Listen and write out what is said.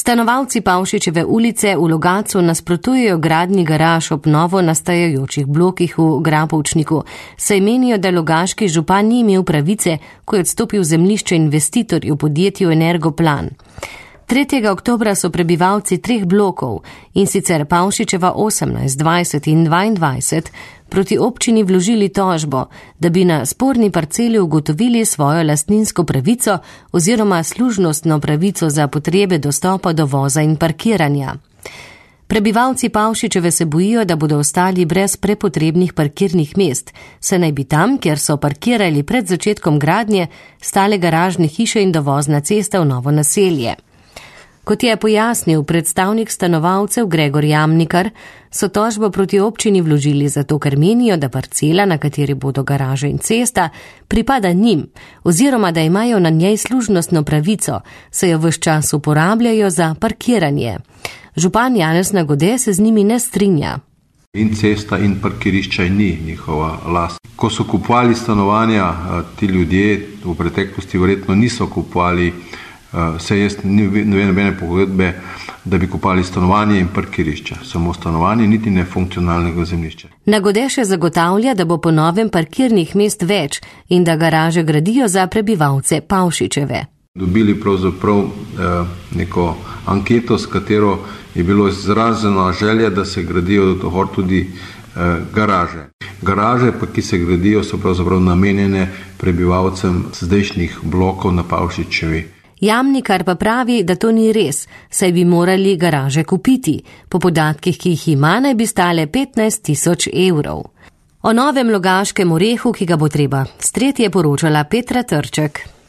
Stanovalci Pavšičeve ulice v Logatcu nasprotujejo gradnji garaž ob novo nastajajočih blokih v Grapovčniku, saj menijo, da logaški župan ni imel pravice, ko je odstopil zemljišče investitorju podjetju Energoplan. 3. oktobra so prebivalci 3 blokov, in sicer Pavšičeva 18, 20 in 22, proti občini vložili tožbo, da bi na sporni parceli ugotovili svojo lastninsko pravico oziroma služnostno pravico za potrebe dostopa do voza in parkiranja. Prebivalci Pavšičeve se bojijo, da bodo ostali brez prepotrebnih parkirnih mest, saj naj bi tam, kjer so parkirali pred začetkom gradnje, stale garažne hiše in dovozna cesta v novo naselje. Kot je pojasnil predstavnik stanovalcev Gregor Jamnikar, so tožbo proti občini vložili zato, ker menijo, da parcela, na kateri bodo garaže in cesta, pripada njim, oziroma da imajo na njej služnostno pravico, saj jo ves čas uporabljajo za parkiranje. Župan Janez Nagode se z njimi ne strinja. In cesta in parkirišča ni njihova last. Ko so kupovali stanovanja, ti ljudje v preteklosti verjetno niso kupovali, saj jaz ne vem nobene pogodbe, da bi kupali stanovanje in parkirišča. Samo stanovanje, niti ne funkcionalnega zemljišča. Nagode še zagotavlja, da bo po novem parkirnih mest več in da garaže gradijo za prebivalce Pavšičeve. Dobili pravzaprav neko anketo, s katero je bilo izražena želja, da se gradijo tudi garaže. Garaže, pa ki se gradijo, so pravzaprav namenjene prebivalcem zdajšnjih blokov na Pavšičevi. Jamnikar pa pravi, da to ni res, saj bi morali garaže kupiti. Po podatkih, ki jih ima, naj bi stale 15 000 evrov. O novem logaškem orehu, ki ga bo treba streti, je poročala Petra Trček.